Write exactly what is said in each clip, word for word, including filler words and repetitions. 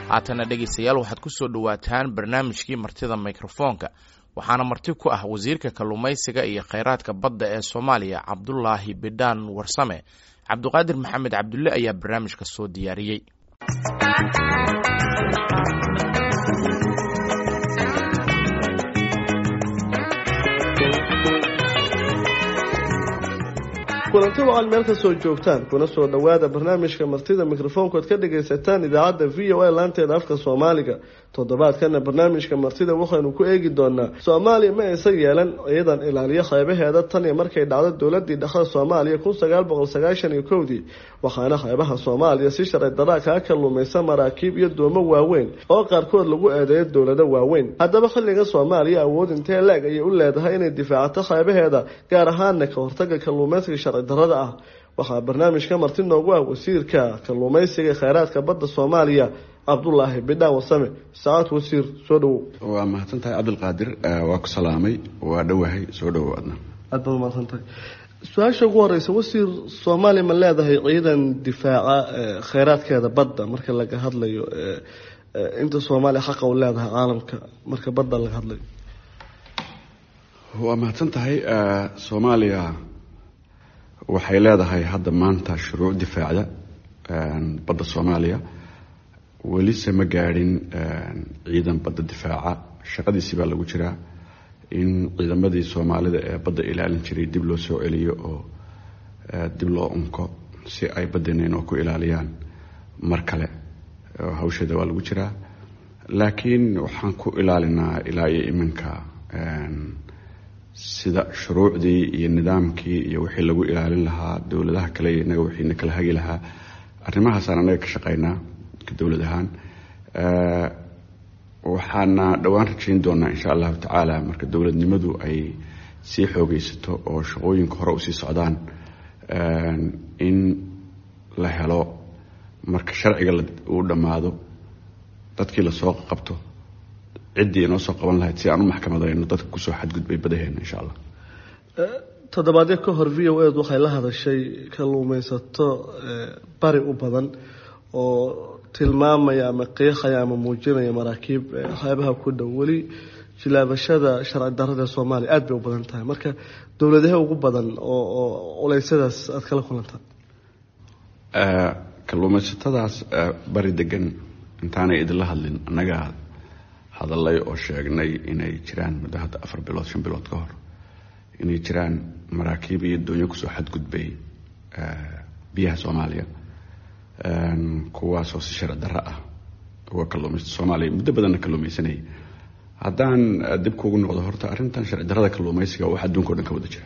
Haatana dhegeystayaal, waxaad ku soo dhowaataan barnaamijkii Martida Mikrofoonka. Waxaana marti ku ah wasiirka kalluumaysiga iyo kheyraadka badda ee Soomaaliya, Cabdulaahi Bidhaan Warsame. Cabdiqaadir Maxamed Cabdulle ayaa barnaamijka soo diyaariyey. Kulanti wacan meel kasoo joogtaan, kuna soo dhowaada barnaamijka Martida Mikrofoonka ood ka dhagaysataan idaacadda V O A laanteeda afka Soomaaliga. Toddobaadkana barnaamijka martida waxaynu ku eegi doonaa: Soomaaliya ma aysan yeelan ciidan ilaaliyo xeebaheeda tan iyo markay dhacdo dowladii dhexda Soomaaliya kun sagaal boqol sagaashan iyo kowdii, waxaana xeebaha Soomaaliya si sharci daraa kaga kalluumaysa maraakiib iyo doomo waaweyn oo qaarkood lagu eedeeyo dowlado waaweyn. Haddaba xilliga Soomaaliya awood intee leeg ayay u leedahay inay difaacato xeebaheeda, gaar ahaana ka hortaga kalluumaysiga sharci darada ah? Waxaa barnaamijka marti noogu ah wasiirka kalluumaysiga kheyraadka badda Soomaaliya, Cabdulaahi Bidhaan Warsame. Saacad wasiir, soo dhawow. Waa mahadsan tahay, Cabdilqaadir. Waa ku salaamay, waa dhowahay, soo dhowow adna. Aad baad umahadsan tahay. Su-aasha ugu horeysa, wasiir, Soomaaliya ma leedahay ciidan difaaca kheyraadkeeda badda marka laga hadlayo inta Soomaaliya xaqa u leedahay caalamka marka badda laga hadlayo? Waa mahadsan tahay. Soomaaliya waxay leedahay hadda maanta shuruuc difaacda badda Soomaaliya. Welise ma gaadhin ciidan badda difaaca. Shaqadiisii baa lagu jiraa in ciidamadii Soomaalida ee badda ilaalin jiray dib loo soo celiyo oo dib loo unko si ay baddeena inoo ku ilaaliyaan mar kale. Hawsheeda waa lagu jiraa, laakiin waxaan ku ilaalinaa ilaa iyo iminka sida shuruucdii iyo nidaamkii iyo wixii lagu ilaalin lahaa dowladaha kale iyo inaga wixiina kala hagi lahaa. Arrimahaasaan anaga ka shaqeynaa dowlad ahaan. Waxaana dhowaan rajayn doonaa, insha Allahu tacaala, marka dowladnimadu ay sii xoogeysato oo shaqooyinka hore usii socdaan, in la helo marka sharciga uu dhammaado dadkii lasoo qabto, ciddii inoo soo qaban lahayd si aan u maxkamadayno dadka kusoo xadgudbay badaheena, insha Allah. Toddobaadyo ka hor V O A waxay la hadashay kalluumaysato bari u badan oo tilmaamaya ama qiiqaya ama muujinaya maraakiib xeebaha ku dhow. Weli jilaabashada sharci darada Soomaaliya aada bay u badan tahay. Marka dowladaha ugu badan oo oo culeysyadaas aada kala kulantaan? Kalluumaysatadaas bari degan intaanay idinla hadlin annagaa hadalay oo sheegnay inay jiraan muddo hadda afar bilood shan bilood ka hor inay jiraan maraakiib iyo doonyo kusoo xadgudbay biyaha Soomaaliya, kuwaasoo si sharci darro ah uga kalluumaysta Soomaaliya, muddo badanna kalluumaysanayay. Haddaan dib kuugu noqdo, horta arrintan sharci darrada kalluumaysiga wax adduunka o dhan ka wada jira,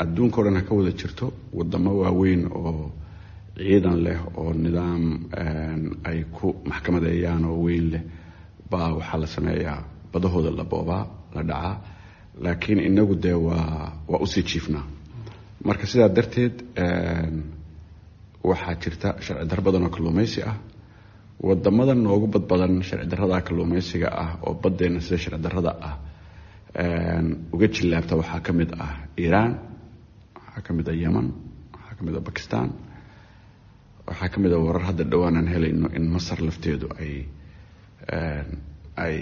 adduunka o dhan ha ka wada jirto. Wadamo waaweyn oo ciidan leh oo nidaam ay ku maxkamadeeyaan oo weyn leh baa waxaa la sameeyaa badahooda la boobaa, la dhacaa, laakiin inagu dee waa waa usii jiifnaa. Marka sidaa darteed waxaa jirta sharci darro badan oo kalluumaysi ah. Wadamada noogu badbadan sharci darrada kalluumaysiga ah oo baddeena sida sharci darrada ah uga jillaabta waxaa ka mid ah Iiraan, waxaa ka mid ah Yemen, waxaa ka mid ah Bakistan, waxaa ka mid ah warar hadda dhowaan aan helayno in Masar lafteedu ay ay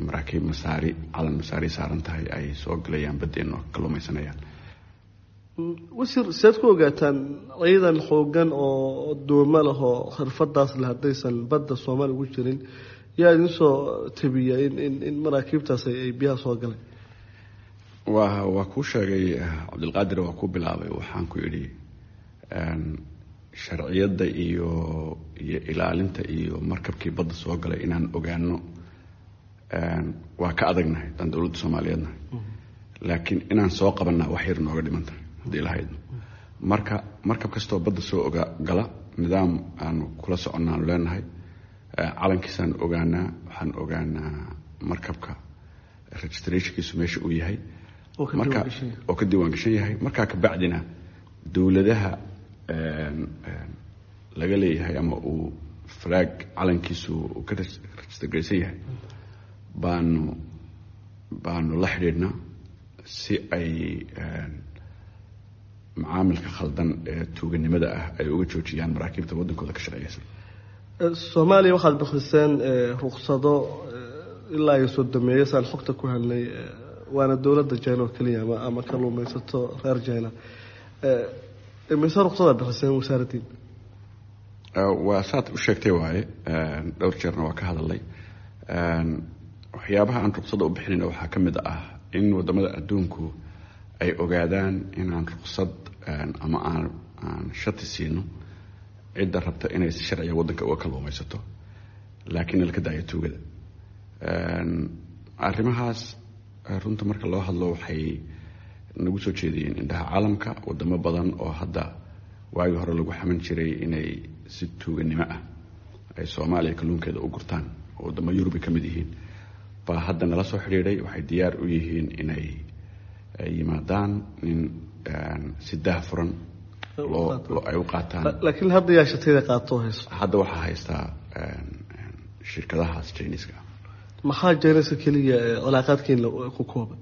maraakiib Masaari, calan Masaari saaran tahay, ay soo galayaan baddeena oo kalluumaysanayaan. Wasiir, seed ku ogaataan ciidan xoogan oo duumo leh oo xirfadaas leh haddaysan badda Soomaaliya ugu jirin? Yaa idin soo tabiya in in in maraakiibtaas ay biyaha soo galeen? waa waa kuu sheegay, Cabdilqaadir, waa ku bilaabay. Waxaan ku idhi sharciyadda iyo iyo ilaalinta iyo markabkii badda soo galay inaan ogaano waa ka adagnahay haddaan dowladda Soomaaliyeed nahay, laakiin inaan soo qabanaa wax yar nooga dhiman tahay haddii lahaydno. Marka markab kastoo badda soo oga gala nidaam aanu kula soconnaanu leenahay. Calankiisaan ogaanaa, waxaan ogaanaa markabka registrationkiisu meesha uu yahay marka oo ka diiwaan gashan yahay. Markaa kabacdina dowladaha laga leeyahay ama uu flag calankiisu uu ka registergaraysan yahay baanu baanu la xidhiidhnaa si ay macaamilka khaldan ee tuuganimada ah ay uga joojiyaan maraakiibta waddankooda ka shaqeeysan. Soomaaliya waxaad bixiseen ruqsado ilaa iyo soddomeeyo saan xogta ku helnay, waana dowladda China oo keliya ama ama kalluumaysato reer China. Imise ruqsadaad bixiseen wasaaraddiin? Waa saad u sheegtay waaye, dhowr jeerna waa ka hadalay. Waxyaabaha aan ruqsadda u bixinayna waxaa ka mid ah in waddamada adduunku ay ogaadaan inaan ruqsad ama aan aan shati siino cidda rabta inay si sharciga waddanka uga kalluumaysato, laakiin laka daayo tuugada. Arrimahaas runta marka loo hadlo waxay nagu soo jeediyeen indhaha caalamka. Wadamo badan oo hadda waagii hore lagu xaman jiray inay si tuuganimo ah ay Soomaaliya kalluunkeeda u gurtaan, oo waddamo Yurubi ka mid yihiin, baa hadda nala soo xidhiidhay. Waxay diyaar u yihiin inay yimaadaan in si daahfuran loo ay u qaataan. Laakiin hadda yaa shatiyada qaato hayso? Hadda waxaa haystaa shirkadahaas Jiniska. Maxaa Jiniska keliya cilaaqaadkiina ku kooban?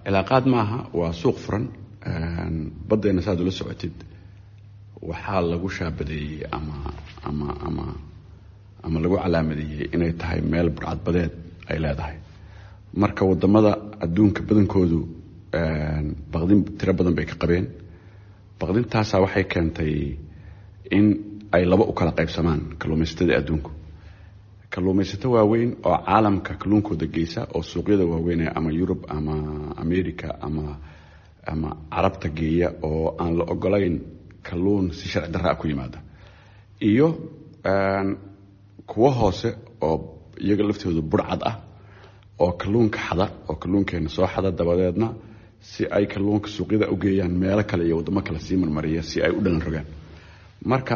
Cilaaqaad maaha, waa suuq furan. Baddeena saad ula socotid waxaa lagu shaabadeeyey ama ama ama ama lagu calaamadeeyey inay tahay meel burcadbadeed ay leedahay. Marka wadamada adduunka badankoodu baqdin tiro badan bay ka qabeen. Baqdintaasaa waxay keentay in ay laba u kala qaybsamaan kalluumaysatada adduunku. Kalluumaysato waaweyn oo caalamka kalluunkooda geysa oo suuqyada waaweyn ama Yurub ama America ama ama Carabta geeya, oo aan la ogolayn kalluun si sharci darra ku yimaada, iyo kuwo hoose oo iyaga laftoodu burcad ah oo kalluunka xada, oo kalluunkeena soo xada, dabadeedna si ay kalluunka suuqyada u geeyaan meelo kale iyo waddamo kale sii marmariya si ay u dhalan rogaan. Marka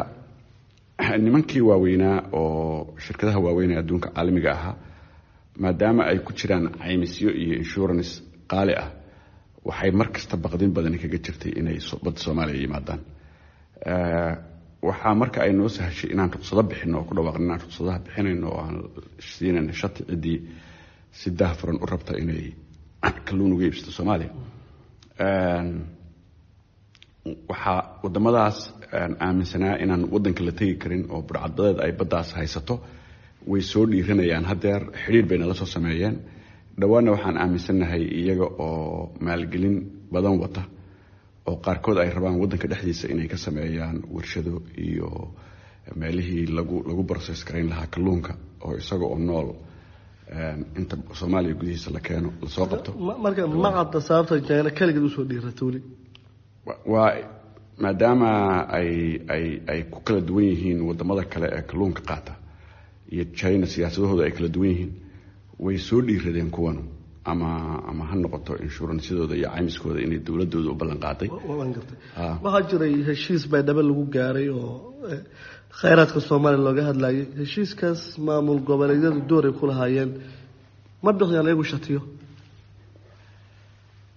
nimankii waaweynaa oo shirkadaha waaweyn ee adduunka caalamiga ahaa, maadaama ay ku jiraan caymisyo iyo insurance qaali ah, waxay mar kasta baqdin badani kaga jirtay inay badda Soomaaliya yimaadaan. Waxaa marka ay noo sahashay inaan ruqsado bixino oo ku dhawaaqno inaan ruqsadaha bixinayno oo aan siinayno shati ciddii si daahfuran u rabta inay kalluun uga iibsato Soomaaliya. Waxaa waddamadaas aaminsanaa inaan waddanka la tegi karin oo burcadbadeed ay baddaas haysato way soo dhiiranayaan. Haddeer xidhiir bay nala soo sameeyeen. Dhowaanna waxaan aaminsannahay iyaga oo maalgelin badan wata oo qaarkood ay rabaan waddanka dhexdiisa inay ka sameeyaan warshado iyo meelihii lagu lagu process garayn lahaa kalluunka oo isaga oo nool inta Soomaaliya gudihiisa la keeno lasoo qabto. Marka ma cadda sababta China kaligeed usoo dhiirata weli? Waa maadaama ay ay ay ku kala duwan yihiin waddamada kale ee kalluunka qaata iyo China, siyaasadahooda ay kala duwan yihiin, way soo dhiiradeen kuwanu, ama ama ha noqoto inshuransyadooda iyo caymiskooda inay dowladooda u ballan qaaday. Waan gartay. Waxaa jiray heshiis Baydhabo lagu gaaray oo khayraadka Soomaaliya looga hadlayay. Heshiiskaas maamul goboleedyadu door ay ku lahaayeen, ma bixiyaan iyagu shatiyo?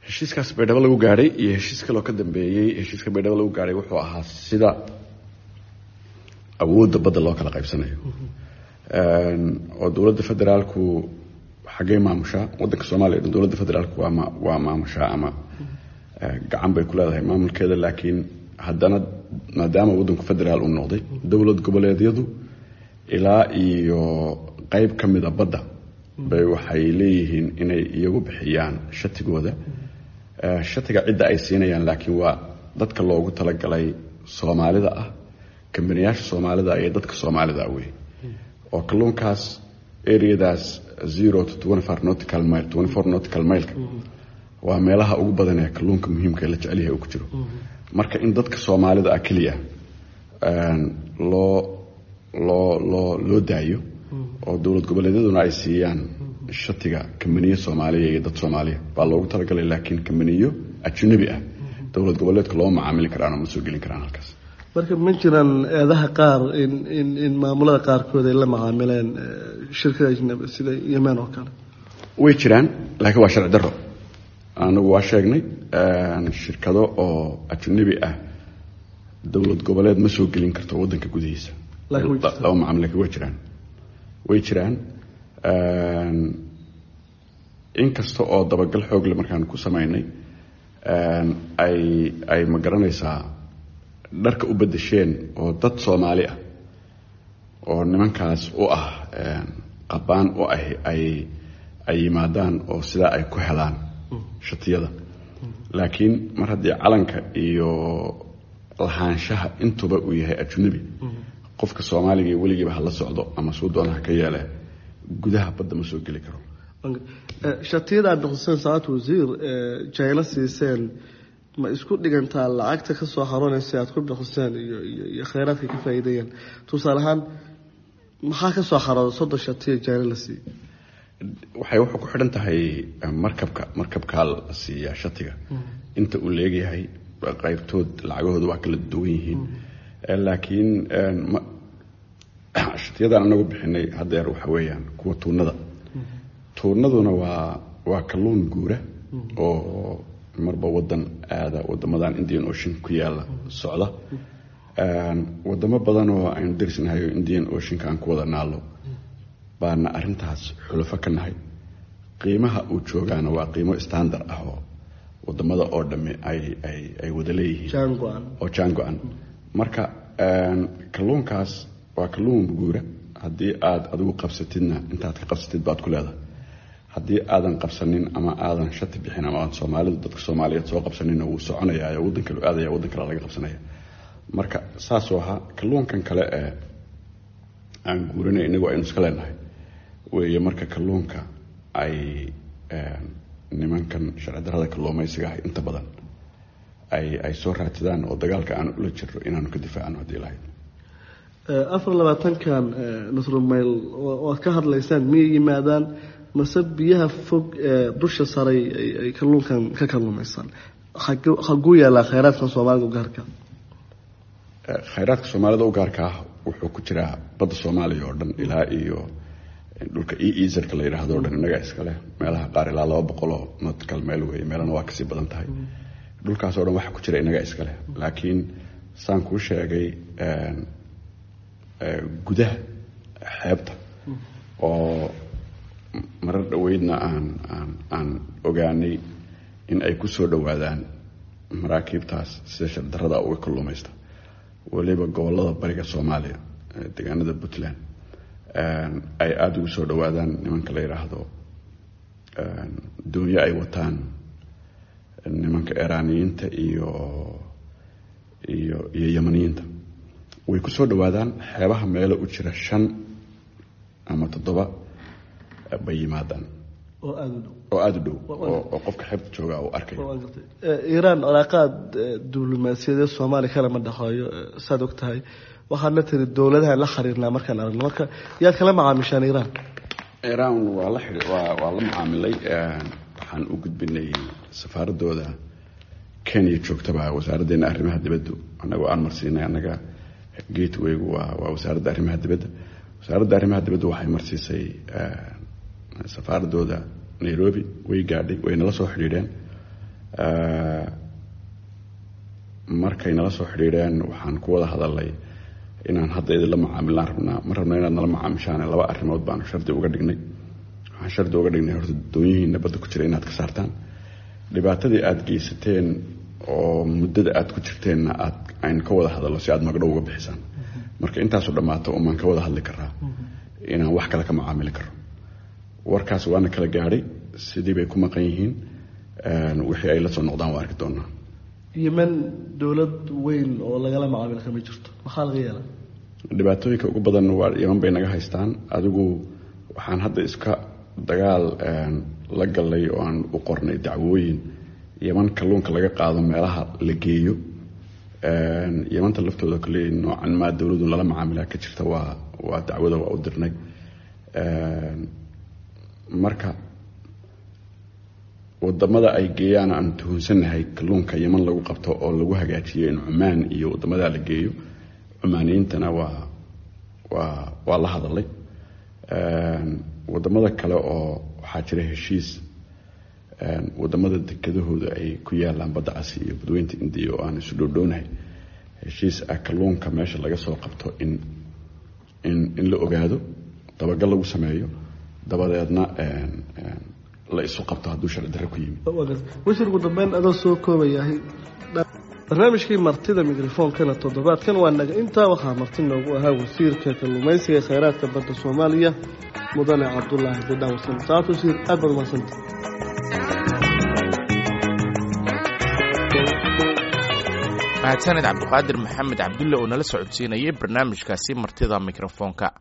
Heshiiskaas Baydhabo lagu gaadhay iyo heshiis kaloo ka dambeeyey, heshiiska Baydhabo lagu gaadhay wuxuu ahaa sida awoodda badda loo kala qaybsanayo, oo dowladda federaalku xaggee maamushaa waddanka Soomaaliya dhan. Dowladda federaalku waa ma waa maamushaa ama gacan bay ku leedahay maamulkeeda, laakiin haddana maadaama waddanku federaal uu noqday, dowlad goboleedyadu ilaa iyo qayb ka mida badda bay waxay leeyihiin inay iyagu bixiyaan shatigooda. Shatiga cidda ay siinayaan laakiin waa dadka loogu talagalay Soomaalida ah, kambaniyaasha Soomaalida iyo dadka Soomaalida wey, oo kalluunkaas areadaas zero to twenty four nautical mile, twenty four nautical mileka waa meelaha ugu badan ee kalluunka muhiimka la jecel yahay uu ku jiro. Marka in dadka Soomaalida ah keliya loo loo loo loo daayo oo dowlad goboleedyaduna ay siiyaan shatiga kambaniyo Soomaaliya iyo dad Soomaaliya baa loogu talagalay, laakiin kambaniyo ajnabi ah dowlad goboleedka looma macaamili karaan oo ma soo gelin karaan halkaas. Marka ma jiraan eedaha qaar in in in maamulada qaarkood ay la macaamileen shirkada ajnabi sida Yemen oo kale? Way jiraan, laakiin waa sharci darro. Anagu waa sheegnay shirkado oo ajnabi ah dowlad goboleed ma soo gelin karto waddanka gudihiisa lama macaamil, laakiin way jiraan, way jiraan. Inkasta oo dabagal xoogle markaan ku samaynay ay ay ma garanaysaa dharka u bedesheen oo dad Soomaali ah oo nimankaas u ah qabaan u ah ay ay yimaadaan oo sidaa ay ku helaan shatiyada. Laakiin mar haddii calanka iyo lahaanshaha intuba uu yahay ajnabi, qofka Soomaaliga weligiiba hala socdo ama suu doona ha ka yeele, gudaha badda ma soo geli karo. Shatiyada aad bixiseen saacad wasiir China siiseen ma isku dhigantaa lacagta ka soo xaroonaysa aad ku bixiseen iyo iyo iyo kheyraadka ka faa'iideeyeen? Tusaale ahaan maxaa ka soo xarooda soddon shatiya China la siiyey? Waxay wuxuu ku xidhan tahay markabka, markabkaa la siiyaa shatiga inta uu leegyahay, qaybtood lacagahooda waa kala duwan yihiin. Laakiin shatiyadan anagu bixinay haddeer waxa weeyaan kuwa tuunada. Tuunaduna waa waa kalluun guura oo marba wadan aada, wadamadan Indian Ocean ku yaala socda, wadamo badan oo aynu derisnahay oo Indian Oceanka aan ku wada naalo baana arrintaas xulafo ka nahay. Qiimaha uu joogaana waa qiimo standard ah oo wadamada oo dhami ay ay ay wada leeyihiin oo jaan go-an. Marka kalluunkaas waa kalluun guura, haddii aad adigu qabsatidna intaad ka qabsatid baad ku leedahay, haddii aadan qabsanin ama aadan shati bixin ama aan Soomaalidu dadka Soomaaliyeed soo qabsaninna wuu soconayaa oo waddan kale aadaya, waddan kale laga qabsanaya. Marka saasoo ahaa kalluunkan kale ee aan guurinay inagu aynu iska leenahay weeye. Marka kalluunka ay nimankan sharci darrada kalluumaysiga ah inta badan ay ay soo raadsadaan oo dagaalka aan ula jirno inaanu ka difaacno haddii lahayd. Afar labaatankan nusru mayl oo aad ka hadlaysaan miyay yimaadaan mase biyaha fog ee dusha saray ay kalluunkan ka kalluumaysaan? Xaguu yaalaa kheyraadka Soomaalida u gaarka? Kheyraadka Soomaalida u gaarka ah wuxuu ku jiraa badda Soomaaliya oo dhan ilaa iyo dhulka E-Ezerka la yidhaahdo o dhan innagaa iskale. Meelaha qaar ilaa laba boqoloo nautical meel weeye, meelana waa kasii badan tahay. Dhulkaas oo dhan waxa ku jira innagaa iskale. Laakiin saan kuu sheegay gudaha xeebta oo marar dhoweydna aan aan aan ogaanay in ay ku soo dhowaadaan maraakiibtaas sida shardarrada uga kalluumaysta, weliba gobollada bariga Soomaaliya, deegaanada Puntland ay aada ugu soo dhowaadaan nimanka la yidhaahdo doonyo ay wataan nimanka Iiraaniyiinta iyo iyo iyo Yamaniyiinta. Way ku soo dhowaadaan xeebaha meelo u jira shan ama toddoba bay yimaadaan oo aada u dhow, oo aada u dhow oo qofka xeebta jooga uu arkayo. Iiraan calaaqaad diblomaasiyadeed Soomaaliya kalama dhexeeyo saad og tahay, waxaadna tiri dowladahan la xiriirnaa markaan aragno. Marka yaad kala macaamishaan Iiraan? Iiraan waa la xiri waa waa la macaamilay. Waxaan u gudbinay safaaradooda Kenya joogtaba wasaaraddeena arrimaha dibaddu, annagoo aan marsiinay, annaga gatewaygu waa waa wasaaradda arrimaha dibadda. Wasaaradda arrimaha dibaddu waxay marsiisay safaaradooda Nairobi, way gaadhay, way nala soo xidhiidheen. Markay nala soo xidhiidheen waxaan ku wada hadalnay inaan hadda idinla macaamilaan rabnaa, ma rabna inaad nala macaamishaan. Laba arrimood baanu shardi uga dhignay. Waxaan shardi uga dhignay horta doonyihiina badda ku jira inaad ka saartaan, dhibaatadii aada geysateen oo muddada aada ku jirteenna aad aynu ka wada hadalno si aad magdhow uga bixisaan. Marka intaasu dhammaato umaan ka wada hadli karaa inaan wax kale ka macaamili karo. Warkaas waana kala gaadhay, sidii bay ku maqan yihiin, wixii ay la soo noqdaan waa arki doonaa. Yemen dowlad weyn oo lagala macaamil kama jirto, maxaa laga yeelaa? Dhibaatooyinka ugu badan waa Yemen bay naga haystaan. Adigu waxaan hadda iska dagaal la galay oo aan u qornay dacwooyin Yemen kalluunka laga qaado meelaha la geeyo. Yemanta laftooda kale noocan maa dowladu lala macaamilaa ka jirta, waa waa dacwada waa u dirnay. Marka wadamada ay geeyaan aan tuhunsannahay kalluunka Yemen lagu qabto oo lagu hagaajiyo in Cumaan iyo wadamadaa la geeyo, Cumaaniyiintana waa waa waa la hadalay. Wadamada kale oo waxaa jira heshiis wadamada dekedahooda ay ku yaalaan badda Casi iyo badweynta Indiya oo aan isu dhowdhownahay, heshiis ah kalluunka meesha laga soo qabto in in in la ogaado, dabagal lagu sameeyo, dabadeedna la isu qabto hadduu sharci darro ku yimid. Wasiir, ugu dambeyn adoo soo koobayahay. Barnaamijkii martida mikrofoonkana toddobaadkan waa naga intaa. Waxaa marti noogu ahaa wasiirka kalluumaysiga ee kheyraadka badda Soomaaliya, mudane Cabdulaahi Bidhaan Warsame. Saacad wasiir, aad baad umahadsanta. Mahadsaned Cabdiqaadir Maxamed Cabdulle oo nala socodsiinayay barnaamijkaasi martida mikrofoonka.